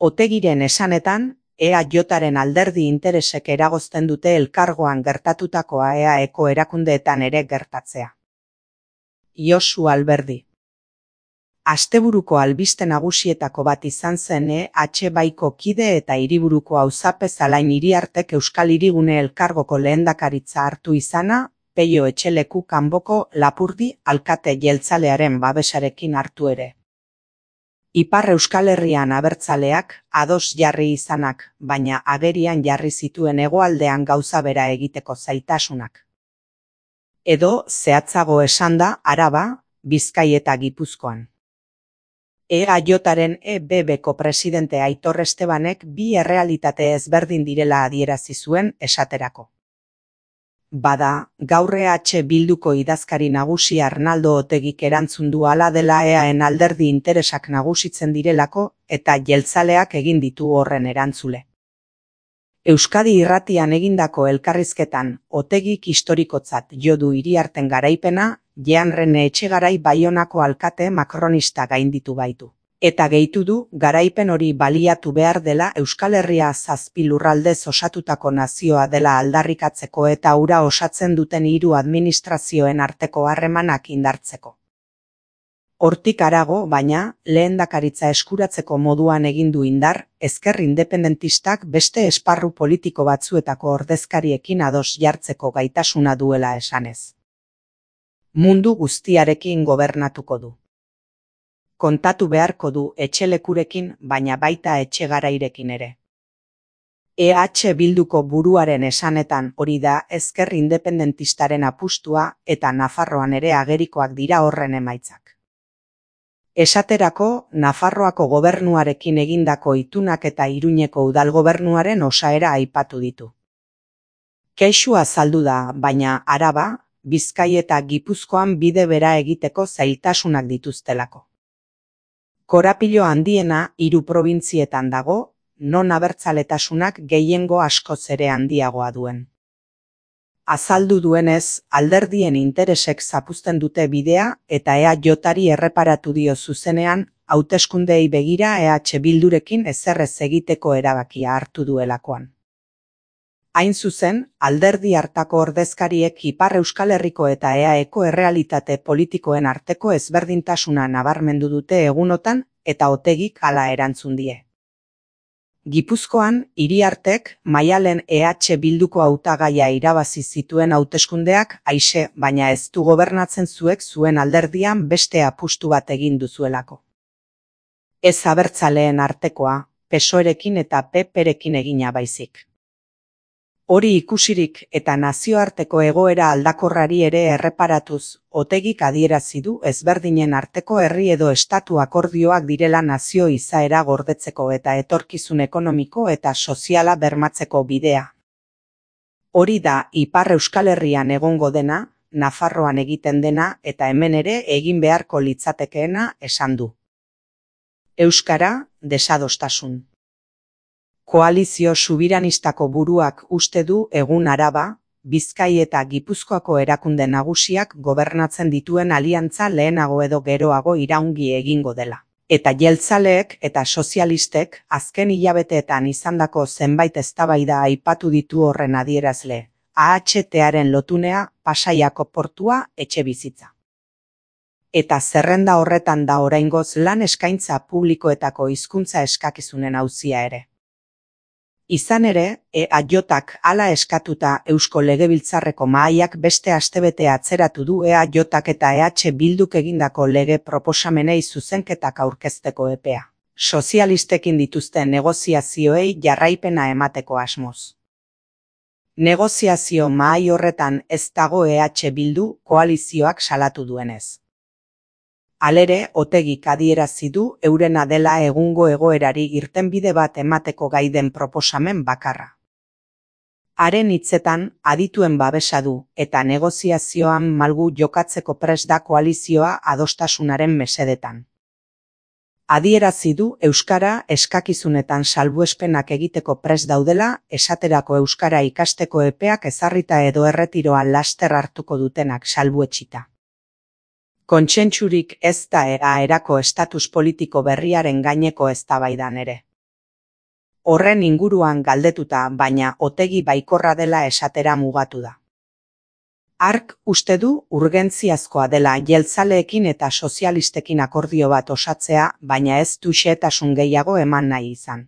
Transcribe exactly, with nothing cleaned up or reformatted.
Otegiren esanetan, E A Jaren alderdi interesek eragozten dute elkargoan gertatutakoa E A Eko erakundeetan ere gertatzea. Josu Alberdi. Asteburuko albiste nagusietako bat izan zen E H baiko kide eta hiriburuko auzapez Alain Iriartek Euskal Hirigune elkargoko lehendakaritza hartu izana, Peio Etxeleku kanboko Lapurdi alkate jeltzalearen babesarekin hartu ere. Ipar Euskal Herrian abertzaleak ados jarri izanak, baina agerian jarri zituen hegoaldean gauza bera egiteko zaitasunak. Edo, zehatzago esanda, Araba, Bizkai eta Gipuzkoan. E A Jaren E B Bko presidente Aitor Estebanek bi errealitate ezberdin direla adierazi zuen esaterako. Bada, gaur E H Bilduko idazkari nagusi Arnaldo Otegik erantzun du hala dela Eaen alderdi interesak nagusitzen direlako eta jeltzaleak egin ditu horren erantzule. Euskadi Irratian egindako elkarrizketan Otegik historikotzat jo du Iriarten garaipena, Jeanrene Etxegarai Baionako alkate makronista gainditu baitu. Eta gehitu du, garaipen hori baliatu behar dela Euskal Herria zazpi lurraldez osatutako nazioa dela aldarrikatzeko eta hura osatzen duten hiru administrazioen arteko harremanak indartzeko. Hortik harago, baina, lehendakaritza eskuratzeko moduan egin du indar, ezker independentistak beste esparru politiko batzuetako ordezkariekin ados jartzeko gaitasuna duela esanez. Mundu guztiarekin gobernatuko du. Kontatu beharko du Etxelekurekin, baina baita Etxegarairekin ere. E H Bilduko buruaren esanetan hori da ezker independentistaren apustua eta Nafarroan ere agerikoak dira horren emaitzak. Esaterako, Nafarroako gobernuarekin egindako itunak eta Iruñeko udalgobernuaren osaera aipatu ditu. Kexu azaldu da, baina Araba, Bizkai eta Gipuzkoan bide bera egiteko zailtasunak dituztelako. Korapilo handiena hiru probintzietan dago, non abertzaletasunak gehiengo askoz ere handiagoa duen. Azaldu duenez, alderdien interesek zapuzten dute bidea eta E A Jari erreparatu dio zuzenean, hauteskundeei begira E H Bildurekin ezerrez egiteko erabakia hartu duelakoan. Hain zuzen, alderdi hartako ordezkariek Ipar Euskal Herriko eta E A Eko errealitate politikoen arteko ezberdintasuna nabarmendu dute egunotan eta Otegik hala erantzun die. Gipuzkoan, Iriartek, Maialen E H Bilduko hautagaia irabazi zituen hauteskundeak aixe, baina ez du gobernatzen zuek zuen alderdian beste apustu bat egin duzuelako. Ez abertzaleen artekoa, Pesoerekin eta P Perekin egina baizik. Hori ikusirik eta nazioarteko egoera aldakorrari ere erreparatuz, Otegik adierazi du ezberdinen arteko herri edo estatu akordioak direla nazio izaera gordetzeko eta etorkizun ekonomiko eta soziala bermatzeko bidea. Hori da Ipar Euskal Herrian egongo dena, Nafarroan egiten dena eta hemen ere egin beharko litzatekeena esan du. Euskara, desadostasun. Koalizio subiranistako buruak uste du egun Araba, Bizkai eta Gipuzkoako erakunde nagusiak gobernatzen dituen aliantza lehenago edo geroago iraungi egingo dela. Eta jeltzaleek eta sozialistek azken hilabeteetan izandako zenbait eztabaida aipatu ditu horren adierazle, A H Taren lotunea, Pasaiako portua, etxebizitza. Eta zerrenda horretan da oraingoz lan eskaintza publikoetako hizkuntza eskakizunen auzia ere. Izan ere, E A Jak hala eskatuta Eusko Legebiltzarreko mahaiak beste astebete atzeratu du E A Jak eta E H Bilduk egindako lege proposamenei zuzenketak aurkezteko epea. Sozialistekin dituzten negoziazioei jarraipena emateko asmoz. Negoziazio mahai horretan ez dago E H Bildu koalizioak salatu duenez. Halere, Otegik adierazi du eurena dela egungo egoerari irtenbide bat emateko gai den proposamen bakarra. Haren hitzetan, adituen babesa du, eta negoziazioan malgu jokatzeko prest da koalizioa adostasunaren mesedetan. Adierazi du euskara eskakizunetan salbuespenak egiteko prest daudela, esaterako euskara ikasteko epeak ezarrita edo erretiroa laster hartuko dutenak salbuetsita. Kontsentsurik ez da E A erako estatus politiko berriaren gaineko eztabaidan ere. Horren inguruan galdetuta, baina Otegi baikorra dela esatera mugatu da. Hark uste du urgentziazkoa dela jeltzaleekin eta sozialistekin akordio bat osatzea, baina ez du xehetasun gehiago eman nahi izan.